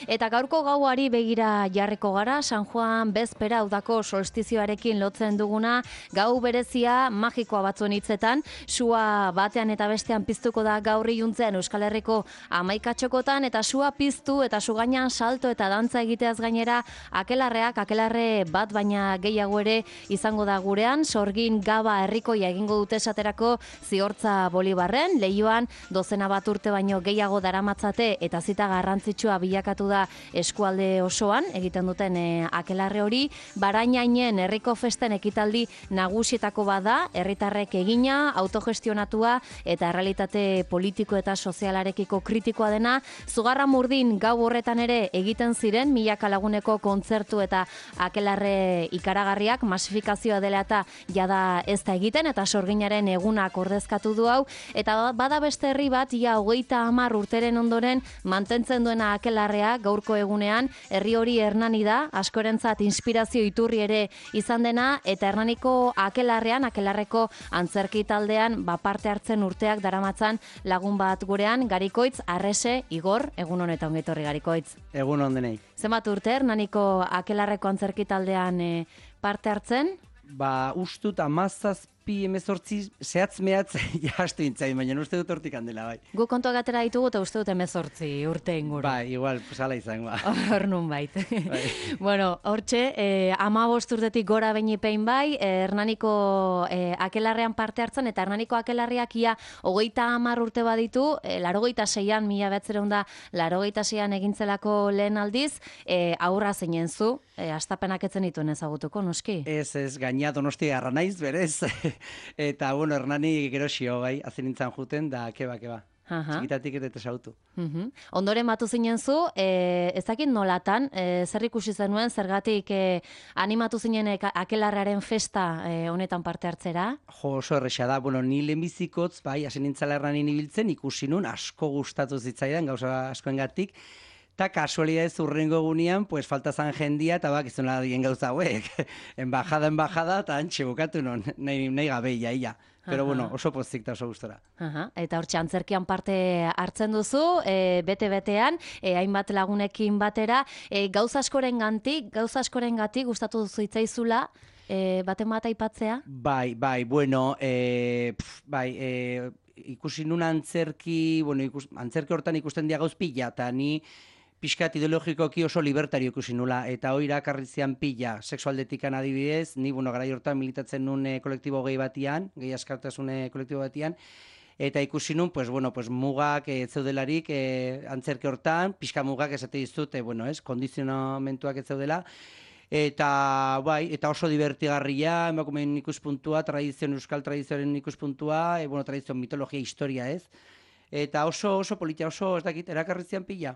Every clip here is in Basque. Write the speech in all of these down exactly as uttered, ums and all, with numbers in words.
Eta gaurko gauari begira jarriko gara, San Juan bezpera udako solstizioarekin lotzen duguna, gau berezia magikoa batzuen hitzetan, sua batean eta bestean piztuko da gaur iluntzean Euskal Herriko hamaikatxokotan, eta sua piztu eta su gainean salto eta dantza egiteaz gainera, akelarreak, akelarre bat baina gehiago ere izango da gurean, sorgin gaba herrikoia egingo dute esaterako Ziortza Bolibarren, leioan dozena bat urte baino gehiago daramatzate eta zita garrantzitsua bilakatu da eskualde osoan, egiten duten e, akelarre hori, Barainainen herriko festen ekitaldi nagusietako bada, herritarrek egina, autogestionatua eta realitate politiko eta sozialarekiko kritikoa dena, Zugarramurdin gau horretan ere egiten ziren, milaka laguneko kontzertu eta akelarre ikaragarriak, masifikazioa dela eta jada ez da egiten, eta sorginaren egunak ordezkatu du hau, eta bada beste herri bat, ia hogeita hamar urteren ondoren mantentzen duena akelarrea, gaurko egunean, herri hori Hernani da, askorentzat inspirazio iturri ere izan dena, eta Hernaniko akelarrean, akelarreko antzerki taldean, ba, parte hartzen urteak daramatzan lagun bat gurean, Garikoitz, Arrese, Igor, egun honetan ongetorri Garikoitz. Egun hondenei. Zenbat urte Hernaniko akelarreko antzerki taldean e, parte hartzen? Ba, ustut amazazpi emezortzi zehatz mehatz jastu intzain, baina uste dut hortik handela, bai. Gu kontuak atera ditugu eta uste dut emezortzi urte inguru. Bai, igual, pues ala izan, ba. Hor nun bait. Bai. Bueno, hortxe, eh, ama bost urtetik gora beinipein bai, eh, Hernaniko eh, akelarrean parte hartzen, eta Hernaniko akelarriak ia hogeita hamar urte baditu, eh, larogeita seian, mila behatzeron da, larogeita seian egintzelako lehen aldiz, eh, aurra zeinen zu, eh, astapenak etzen dituen ezagutuko, noski? Ez, ez, gaina donosti garra naiz, berez. Eta, bueno, Hernani gero xio, bai, azen nintzen juten, da, keba, keba. Aha. Txikitatik ere tesautu. Uhum. Ondoren batu zinen zu, e, ez dakit nolatan, e, zer ikusi zenuen, zergatik e, animatu zinen e, akelarraren festa e, honetan parte hartzera? Jo, oso erresa da, bueno, ni lehenbizikotz, bai, azen nintzala Hernanin ibiltzen, ikusi nun, asko gustatu zitzaidan, gauza askoengatik, eta kasualidadez urrengo egunean, pues falta zan jendia, eta bak, izan dien gauza hauek. Embajada, embajada, eta antxe bukatu non, nahi, nahi gabe, ia, ia. Pero Aha. bueno, oso pozik eta oso gustora. Aha. Eta hortxe antzerkian parte hartzen duzu, e, bete-betean, e, hainbat lagunekin batera, e, gauza askoren gantik, gauza askoren gatik gustatu duzu itzaizula, e, baten bat aipatzea? Bai, bai, bueno, e, pf, bai, e, ikusi nun antzerki, bueno, ikus, antzerki hortan ikusten dia gauz pila, eta ni pixkat ideologikoki oso libertario ikusi nula, eta hori irakarrizian pila, sexualdetikan adibidez, ni, bueno, garai hortan militatzen nun e, kolektibo gehi batian, gehi askartasune kolektibo batian, eta ikusi nun, pues, bueno, pues, mugak ez zeudelarik e, antzerki hortan, pixka mugak esate dizut, e, bueno, ez, kondizionamentuak ez zeudela, eta bai, eta oso divertigarria, emakumeen ikuspuntua, tradizioen, euskal tradizioaren ikuspuntua, e, bueno, tradizioen mitologia, historia, ez? Eta oso, oso politia, oso, ez dakit, erakarrizian pila.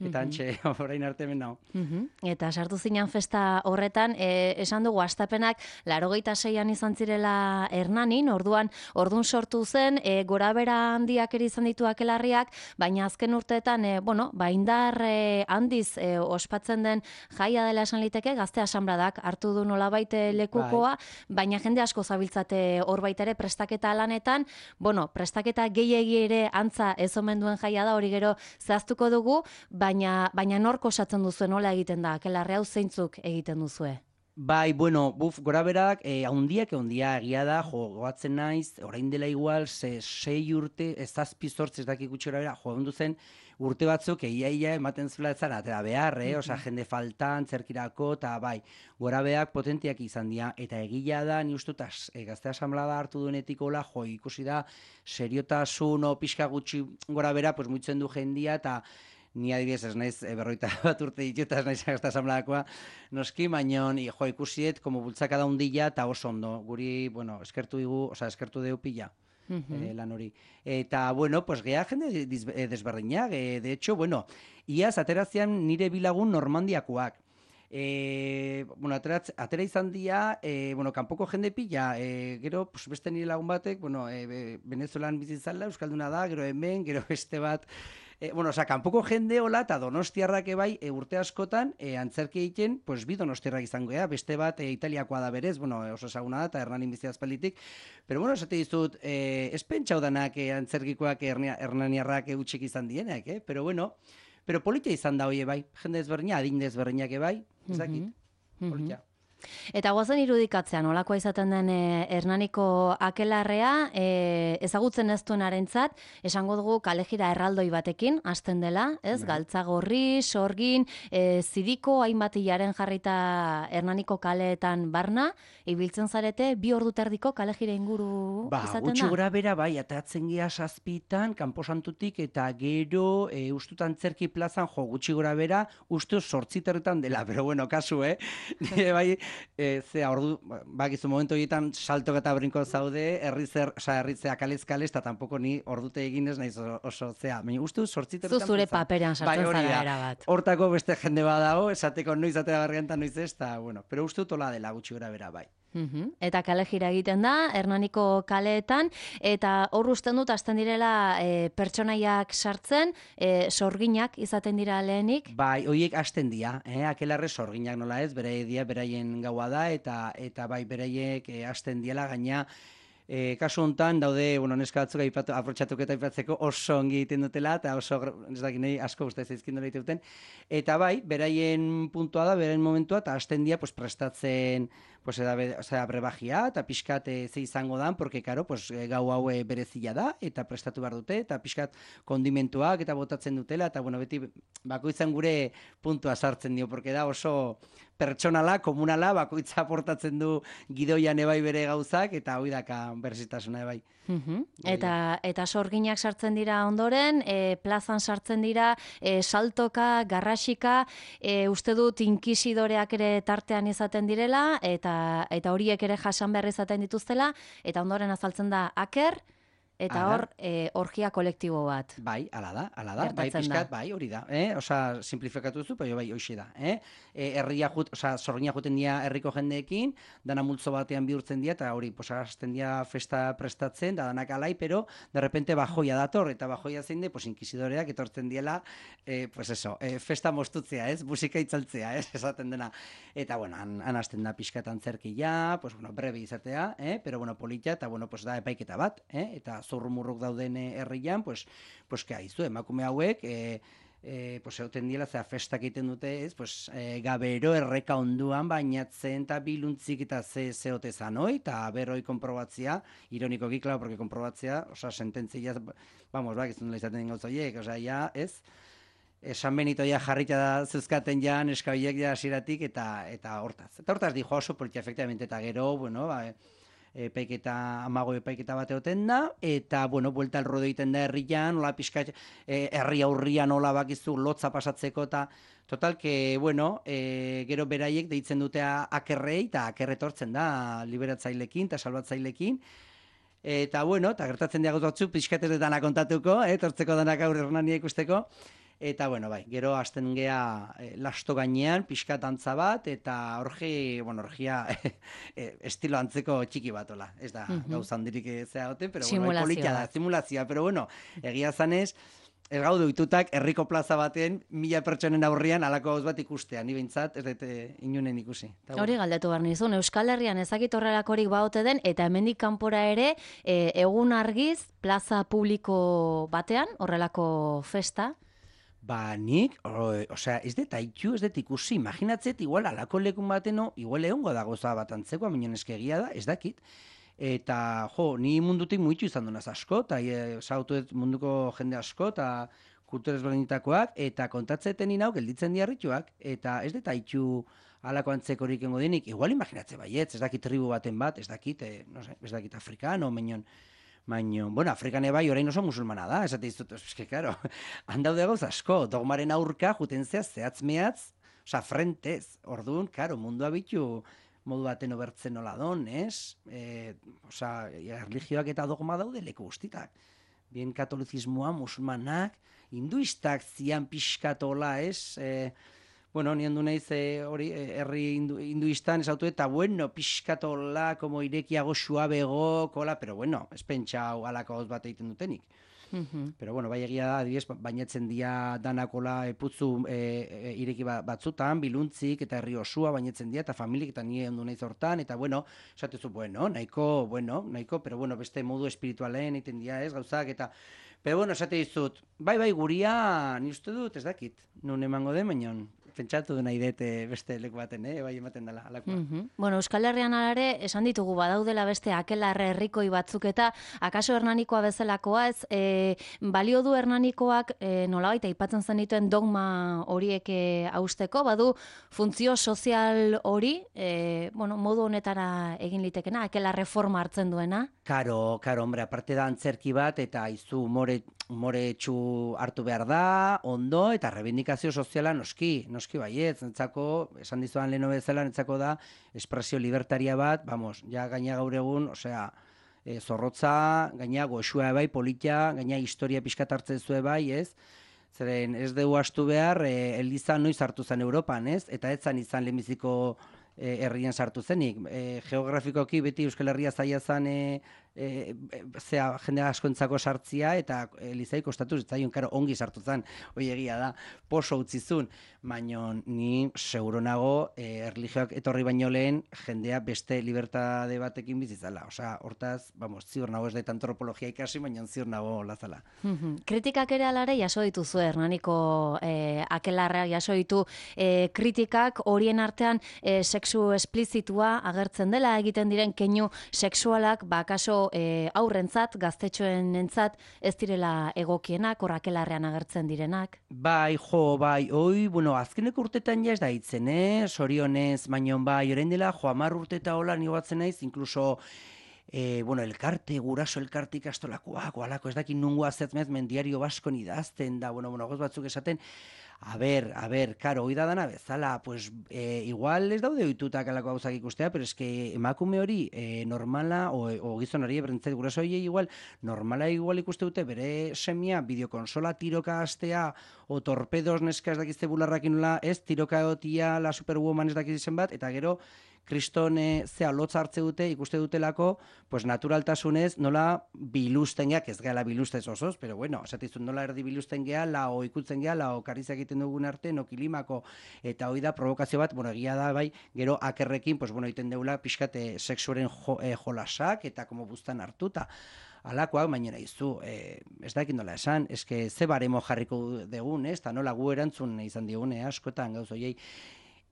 Eta antxe, orain arte hemen nao. Uhum. Eta sartu zinean festa horretan, e, esan dugu astapenak larogeita seian izan zirela Hernanin, orduan, ordun sortu zen, e, gorabera handiak ere izan ditu akelarriak, baina azken urteetan, e, bueno, ba, indar e, handiz e, ospatzen den jaia dela esan liteke, gazte asanbladak hartu du nolabait lekukoa, baina jende asko zabiltzate hor baita ere prestaketa lanetan, bueno, prestaketa gehiegi ere antza ez omen duen jaia da, hori gero zehaztuko dugu, baina, baina nork osatzen duzue, nola egiten da, akelarre hau zeintzuk egiten duzue? Bai, bueno, buf, gora berak, eh, haundiak eundia egia da, jo, goatzen naiz, orain dela igual, ze, sei urte, ez zazpi zortz, ez dakik gutxi gora bera, jo, zen urte batzuk, egia ia ematen zuela etzara, atera behar, eh? Osa, jende faltan, zerkirako, eta bai, gora berak potentiak izan dira, eta egia da, ni ustut, e, gazte asamblada hartu duenetik hola, jo, ikusi da, seriotasun, o, pixka gutxi gora bera, pues, muitzen du jendia, eta ni adibidez ez naiz e, berroita bat urte ditu eta ez naiz gazta asambladakoa noski, baino jo, ikusiet, como bultzaka da hundila eta oso ondo. Guri, bueno, eskertu digu, oza, eskertu deu pila. Uh-huh. eh, lan hori. Eta, bueno, pues geha jende desberdinak, eh, de hecho, bueno, iaz aterazian nire bilagun Normandiakoak. E, bueno, atera, atera izan dia, e, bueno, kanpoko jende pila, e, gero, pues, beste nire lagun batek, bueno, e, Venezuelan bizitzala, Euskalduna da, gero hemen, gero beste bat, e, bueno, oza, kanpoko jende hola, eta donostiarrak ebai, e, urte askotan, e, antzerki egiten, pues, bi donostiarrak izango, ea, beste bat, e, italiakoa da berez, bueno, oso esaguna da, eta Hernanin bizi azpalitik, pero, bueno, esate dizut, e, ez pentsau danak e, antzerkikoak e, hernaniarrak e, utxik izan dienak, eh? Pero, bueno, pero politia izan da hoie bai, jende ezberdina, adin ezberdinak bai, ez dakit, politia. Eta guazen irudikatzea, nolakoa izaten den e, Hernaniko akelarrea, e, ezagutzen ez duenarentzat, esango dugu kalejira erraldoi batekin, hasten dela, ez? Bai. Galtzagorri, sorgin, e, zidiko hainbat hilaren jarrita Hernaniko kaleetan barna, ibiltzen zarete, bi ordu terdiko kalejira inguru Ba, izaten gutxi da? gora bera, bai, atatzen gea zazpitan, kanposantutik, eta gero, e, ustutan zerki plazan, jo, gutxi gora bera, ustu sortziterretan dela, pero bueno, kasu, eh? Nire bai, e, zea, ordu, bakizu momentu horietan saltok eta brinko zaude, herrizer, oza, herritzea kalez kalez, eta tampoko ni ordute eginez naiz oso, oso zea, baina ustu Zu sortziterretan zure plazan. paperean Bai, sartzen hori zara da. erabat. Hortako beste jende badago, esateko noiz atera barriantan noiz ez, eta, bueno, pero uste tola dela gutxi gora bera, bai. Mhm. Eta kalejira egiten da, Hernaniko kaleetan, eta hor usten dut, hasten direla e, pertsonaiak sartzen, e, sorginak izaten dira lehenik. Bai, hoiek hasten dira, eh? Akelarre sorginak nola ez, beraie dia, beraien gaua da, eta eta bai, beraiek eh, hasten diela, gaina, E, kasu hontan daude, bueno, neska batzuk aipatu, aprotxatuk eta aipatzeko oso ongi egiten dutela, eta oso, ez dakit nahi, asko uste zaizkin dola egiten duten. Eta bai, beraien puntua da, beraien momentua, eta hasten dira, pues, prestatzen, pues, eda, osea, brebagia, eta pixkat e, ze izango dan, porque, karo, pues, e, gau hau e, berezila da, eta prestatu behar dute, eta pixkat kondimentuak, eta botatzen dutela, eta, bueno, beti, bakoitzan gure puntua sartzen dio, porque da oso pertsonala, komunala, bakoitza aportatzen du gidoian ebai bere gauzak, eta hoi daka berzitasuna ebai. Mhm. Eta, eta sorginak sartzen dira ondoren, e, plazan sartzen dira, e, saltoka, garrasika, e, uste dut inkisidoreak ere tartean izaten direla, eta, eta horiek ere jasan behar izaten dituztela, eta ondoren azaltzen da aker, eta Hala. hor, e, orgia kolektibo bat. Bai, ala da, ala da, bai, Gertatzen pixkat, da. bai, hori da, eh? Osa, simplifikatu duzu, bai, bai, hoxe da, eh? E, herria jut, osa, sorgina juten dira herriko jendeekin, dana multzo batean bihurtzen dira, eta hori, posa, hasten dira festa prestatzen, da danak alai, pero, de repente, bajoia dator, eta bajoia zein de, pues, inkisidoreak etortzen diela, eh, pues eso, eh, festa mostutzea, ez? Musika itzaltzea, ez? Esaten dena. Eta, bueno, han, han hasten da pixkatan zerkia, pues, bueno, breve izatea, eh? Pero, bueno, politia, eta, bueno, pues, da epaiketa bat, eh? Eta zurrumurruk dauden eh, herrian, pues, pues, que haizu, emakume hauek, eh, eh, pues, egoten diela, zera, festak egiten dute, ez, pues, eh, gabero erreka onduan, bainatzen, eta biluntzik eta ze zeote zanoi, eta berroi konprobatzia, ironikoki, klar, porque konprobatzia, osa, sententzia, vamos, bak, izan dela izaten den gauza horiek, osa, ja, ez, San Benito ja jarrita da zuzkaten ja neskabiek ja hasieratik eta eta hortaz. Eta hortaz dijo oso politia, efectivamente, eta gero, bueno, ba, epaiketa, amago epaiketa bat egoten da, eta, bueno, buelta al ruedo egiten da herrian, nola pixka, eh, herri aurrian nola bakizu lotza pasatzeko, eta, total, que, bueno, eh, gero beraiek deitzen dute akerrei, eta akerre etortzen da, liberatzailekin, eta salbatzailekin, eta, bueno, eta gertatzen diago batzu, pixkatez dana kontatuko, eh, etortzeko danak aurre Hernania ikusteko, eta, bueno, bai, gero hasten gea eh, lasto gainean, pixkat antza bat, eta orgi, bueno, orgia eh, estilo antzeko txiki bat, ola. Ez da, Mhm. gauza handirik zeagoten, pero bueno, Simulazio politia da, bat. simulazioa, pero bueno, egia zanez, ez gaude ohitutak herriko plaza baten mila pertsonen aurrian halako gauz bat ikustea, ni behintzat ez dut eh, inunen ikusi. Eta, Hori galdetu behar nizun, Euskal Herrian ezakit horrelakorik baote den, eta hemendik kanpora ere, e, egun argiz, plaza publiko batean, horrelako festa. Ba, nik, o, osea, ez dut haitu, ez dut ikusi, imaginatzet, igual, alako lekun bateno, igual egongo da goza bat antzeko, aminon eskegia da, ez dakit. Eta, jo, ni mundutik muitu izan dunaz asko, eta e, zautu dut munduko jende asko, eta kultura ezberdinetakoak, eta kontatzeten inau, gelditzen diarrituak, eta ez dut haitu alako antzekorik engo denik, igual imaginatze baietz, ez dakit tribu baten bat, ez dakit, e, no sé, ez dakit afrikano, menon, baina, bueno, Afrikan bai orain oso musulmana da, esate dizut, eske, claro, handaude gauz asko, dogmaren aurka, juten zea, zehatz mehatz, oza, frentez, orduan, claro, mundua bitu modu baten obertzen nola don, ez? E, oza, erligioak eta dogma daude leku guztitak. Bien katolizismoa, musulmanak, hinduistak zian pixkatola, ez? E, bueno, nien du naiz eh, hori eh, herri hindu, hinduistan esautu eta bueno, pixkatola, como irekiago suabego, kola, pero bueno, ez pentsau alako gauz bat egiten dutenik. Mhm. Pero bueno, bai egia da, adibidez, bainatzen dia danakola e, putzu e, e, ireki batzutan, biluntzik eta herri osua bainatzen dia, eta familik eta nire ondu naiz hortan, eta bueno, esatezu, bueno, nahiko, bueno, nahiko, pero bueno, beste modu espiritualen egiten dia ez, gauzak, eta Pero bueno, esate dizut, bai, bai, guria, ni uste dut, ez dakit, nun emango den, baina pentsatu nahi dute beste leku baten, eh? Bai ematen dela, alakoa. Mm -hmm. Bueno, Euskal Herrian alare, esan ditugu badaudela beste akelarre herrikoi batzuk eta akaso Hernanikoa bezalakoa ez, e, balio du Hernanikoak e, nolabait aipatzen zen dituen dogma horiek e, hausteko, badu funtzio sozial hori, e, bueno, modu honetara egin litekena, akelarre forma hartzen duena? Karo, karo, hombre, aparte da antzerki bat, eta izu more, more txu hartu behar da, ondo, eta rebindikazio soziala noski, noski baiet, netzako, esan dizuan leheno bezala, netzako da, espresio libertaria bat, vamos, ja gaina gaur egun, osea, e, zorrotza, gaina goxua bai, politia, gaina historia pixkat hartzen zue bai, ez? Zeren ez dugu astu behar, e, Eliza noiz hartu zen Europan, ez? Eta ez zan izan lehenbiziko e, herrian sartu zenik. E, geografikoki beti Euskal Herria zaila zen e, e, zea, jende askoentzako sartzia, eta Elizai kostatu zitzaion, karo, ongi sartu zen, hoi egia da, poso utzizun, baina ni seguro nago e, erlijioak etorri baino lehen jendea beste libertade batekin bizizala. Osea, hortaz, vamos, ziur nago ez da antropologia ikasi, baina ziur nago lazala. Kritikak ere alare jaso dituzu, Hernaniko e, akelarra jaso ditu e, kritikak horien artean e, sexu esplizitua agertzen dela, egiten diren keinu sexualak, bakaso e, aurrentzat, gaztetxoen entzat, ez direla egokienak, hor akelarrean agertzen direnak. Bai, jo, bai, oi, bueno, azkeneko urtetan ja ez da hitzen, eh? Sorionez, baino bai, orain dela, jo, hamar urte eta hola ni batzen naiz, inkluso E, bueno, elkarte, guraso elkarte ikastolakoak, alako, ez dakit nungo azetmez, mendiario baskon idazten da, bueno, bueno, goz batzuk esaten, a ber, a ber, karo, hoi da dana bezala, pues, e, igual ez daude oitutak alako gauzak ikustea, pero es que emakume hori e, normala, o, o gizonari ebrentzet, guraso hori igual, normala igual ikuste dute, bere semia, bideokonsola tiroka astea, o torpedos neska ez dakizte bularrakin nola, ez, tiroka egotia, la superwoman ez dakizen bat, eta gero, kriston e, zea lotza hartze dute, ikuste dutelako, pues naturaltasunez nola biluzten geak, ez gehala biluztez osoz, pero bueno, esatizun nola erdi biluzten gehala, o ikutzen gehala, o karizak egiten dugun arte, no kilimako, eta hoi da provokazio bat, bueno, egia da, bai, gero akerrekin, pues bueno, egiten deula pixkate sexuaren jo, e, jolasak, eta como buztan hartuta. Alakoak, baina izu, e, ez dakit nola esan, eske ze baremo jarriko degun, ez, eta nola gu erantzun izan digune, askotan gauz oiei,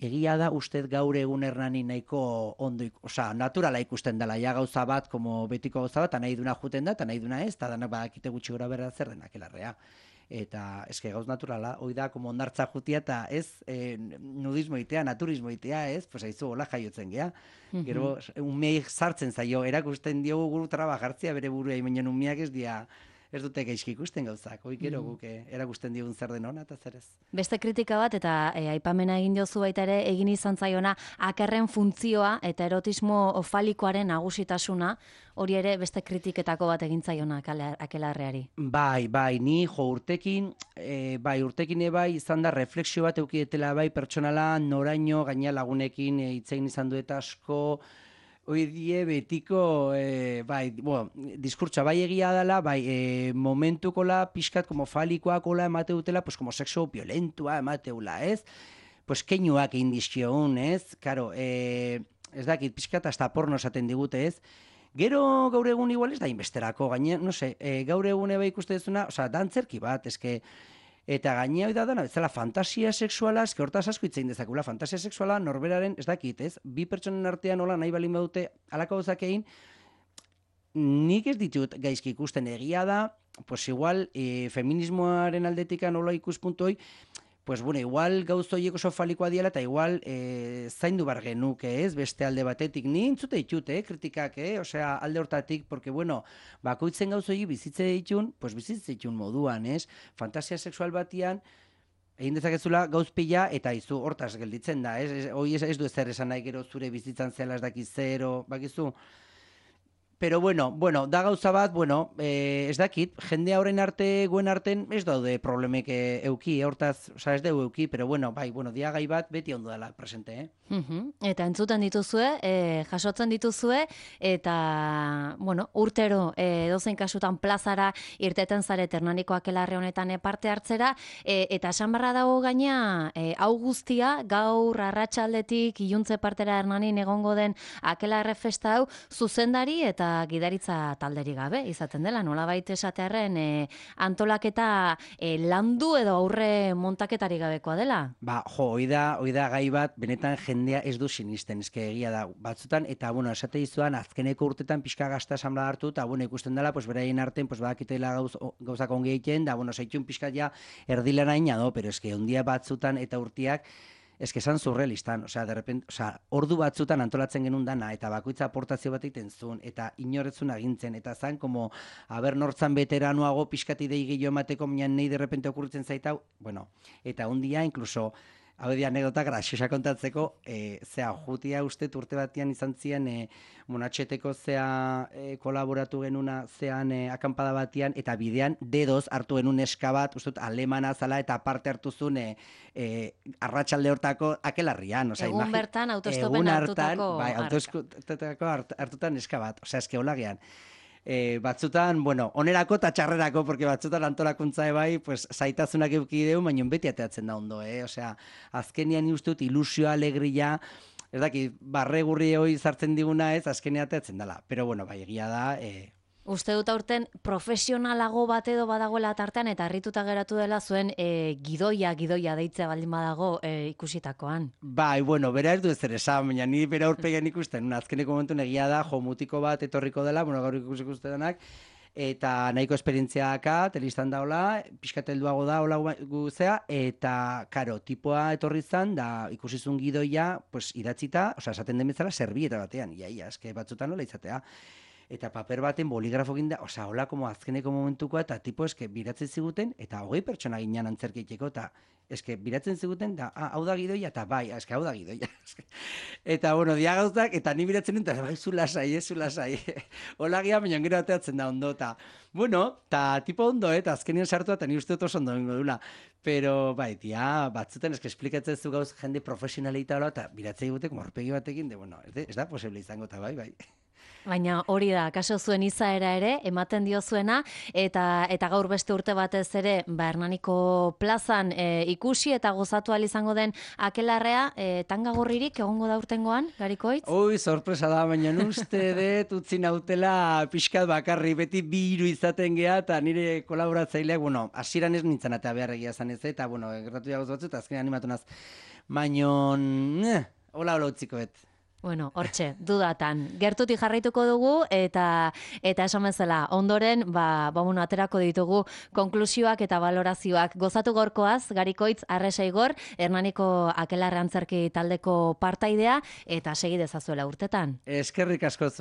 egia da ustez gaur egun Hernani nahiko ondo, osea, naturala ikusten dela, ja gauza bat, como betiko gauza bat, eta nahi duna juten da, eta nahi duna ez, eta danak badakite gutxi gora berda zer denak elarrea. Eta eske gauz naturala, hoi da, como ondartza jutia, eta ez e, nudismo itea, naturismo itea, ez, pues haizu hola jaiotzen gea. Gero, umeik sartzen zaio, erakusten diogu guru traba jartzia bere burua, imenon umeak ez dia, ez dute gaizki ikusten gauzak, hoi gero guk erakusten digun zer den hona eta zer ez. Beste kritika bat, eta e, aipamena egin jozu baita ere, egin izan zaiona, akerren funtzioa eta erotismo ofalikoaren nagusitasuna, hori ere beste kritiketako bat egin zaiona akelarreari. Bai, bai, ni jo urtekin, e, bai, urtekin bai izan da refleksio bat eukietela bai pertsonala, noraino, gaina lagunekin e, itzein izan duet asko, hoi die betiko, e, bai, bueno, diskurtsa bai egia dela, bai, e, momentukola pixkat como falikoakola emate dutela, pues como sexo violentua emateula, ez? Pues keinuak egin dizkiogun, ez? Karo, e, ez dakit, pixkat hasta porno esaten digute, ez? Gero gaur egun igual ez da inbesterako, gaine, no sé, e, gaur egun eba ikuste duzuna, oza, dantzerki bat, eske, eta gainea hori da dana, bezala fantasia sexuala, eske hortaz asko itzein dezakula, fantasia sexuala norberaren, ez dakit, ez? Bi pertsonen artean nola nahi balin badute alako gauzak egin, nik ez ditut gaizki ikusten egia da, pues igual, e, feminismoaren aldetika nola ikuspuntu hoi, pues bueno, igual gauz horiek oso falikoa diela, eta igual e, zaindu bar genuke, ez, beste alde batetik, ni entzute ditut, eh, kritikak, eh, osea, alde hortatik, porque bueno, bakoitzen gauz horiek bizitze ditun, pues bizitze ditun moduan, ez, fantasia sexual batian, egin dezakezula gauz pila, eta izu hortaz gelditzen da, ez, hoi ez, ez du ezer esan nahi gero zure bizitzan zela ez dakiz zero, bakizu. Pero bueno, bueno, da gauza bat, bueno, eh, ez dakit, jende horren arte, guen arten, ez daude problemek euki, hortaz, oza, ez dugu euki, pero bueno, bai, bueno, diagai bat beti ondo dela presente, eh? Uh-huh. Eta entzuten dituzue, e, jasotzen dituzue, eta, bueno, urtero, e, dozein kasutan plazara irteten zaret Hernaniko akelarre honetan parte hartzera, e, eta esan barra dago gaina, e, hau guztia, gaur arratsaldetik iluntze partera Hernanin egongo den akelarre festa hau, zuzendari eta eta gidaritza talderik gabe izaten dela, nolabait esatearren e, antolaketa e, landu edo aurre montaketari gabekoa dela. Ba, jo, hoi da, hoi da gai bat, benetan jendea ez du sinisten, eske egia da, batzutan, eta, bueno, esate izuan, azkeneko urtetan pixka gazta esanbla hartu, eta, bueno, ikusten dela, pues, beraien arten, pues, badakitela gauz, gauzak ongi egiten, da, bueno, zaitxun pixka ja erdilana do, pero eske ondia batzutan eta urtiak, eske esan surrealistan, osea, de repente, osea, ordu batzutan antolatzen genuen dana, eta bakoitza aportazio bat egiten zuen, eta inoretzun agintzen, eta zan, como, haber nortzan veteranoago pixkati dei gehiago emateko, minan nahi de repente okurritzen zaitau, bueno, eta ondia, incluso, hau di anekdota graxiosa kontatzeko, e, zea, jutia uste urte batian izan zian, e, monatxeteko zea e, kolaboratu genuna zean e, akampada batian, eta bidean dedoz hartu genuen eska bat, uste dut, alemana zala, eta parte hartu zuen e, e, arratsalde hortako akelarrian. Osa, egun imagi, bertan autostopen hartutako bai, autostopetako hartutan eska bat, osea, eske holagean. E, batzutan, bueno, onerako eta txarrerako, porque batzutan antolakuntza ebai, pues, zaitasunak eukideu, baina beti ateatzen da ondo, eh? Osea, azkenian ustut ilusioa, alegria, ez daki, barregurri hoi zartzen diguna ez, azkenian ateatzen dela. Pero, bueno, bai, egia da, eh, Uste dut aurten profesionalago bat edo badagoela tartean eta harrituta geratu dela zuen e, gidoia, gidoia deitzea baldin badago e, ikusitakoan. Bai, bueno, bera ez du ezer esan, baina ni bera aurpegian ikusten, azkeneko momentu egia da, jo, mutiko bat etorriko dela, bueno, gaur ikusi ikustenak, eta nahiko esperientzia daka, telistan daula, pixkat helduago da, hola guzea, eta, karo, tipoa etorri zan, da ikusizun gidoia, pues, idatzita, osea, esaten den bezala, servieta batean, ia, ia, eske batzutan nola izatea. Eta paper baten boligrafo ginda, osea, hola, como azkeneko momentukoa, eta tipo eske biratzen ziguten, eta hogei pertsona ginen antzerkeiteko, eta eske biratzen ziguten, da, ah, hau da gidoia, eta bai, eske hau da gidoia. Eta, bueno, dia gauzak, eta ni biratzen nuen, eta bai, zu lasai, ez, zu lasai. Hola gian, baina gero ateatzen da ondo, eta, bueno, eta tipo ondo, eta azkenien sartu, eta ni uste dut oso ondo bengo dula. Pero, bai, tia, batzutan, eske esplikatzen zu gauz jende profesionalita hola, eta biratzen egute, como horpegi batekin, de, bueno, ez, de, ez da posible izango, eta bai, bai. Baina hori da, kaso zuen izaera ere, ematen dio zuena, eta eta gaur beste urte batez ere, ba, Hernaniko plazan e, ikusi eta gozatu ahal izango den akelarrea, e, tanga gorririk egongo da urtengoan, Garikoitz? Ui, sorpresa da, baina uste dut utzi nautela pixkat bakarri, beti bi hiru izaten geha, eta nire kolaboratzaileak, bueno, hasieran ez nintzen eta beharregia zan ez, eta, bueno, gertatu jagoz batzu, eta azkenean animatu naz. Baina, eh, hola, hola utziko bet. Bueno, hortxe, dudatan. Gertutik jarraituko dugu eta eta esan bezala, ondoren, ba, ba bueno, aterako ditugu konklusioak eta balorazioak. Gozatu gorkoaz, Garikoitz Arresaigor, Hernaniko akelarre antzerki taldeko partaidea eta segi dezazuela urtetan. Eskerrik asko.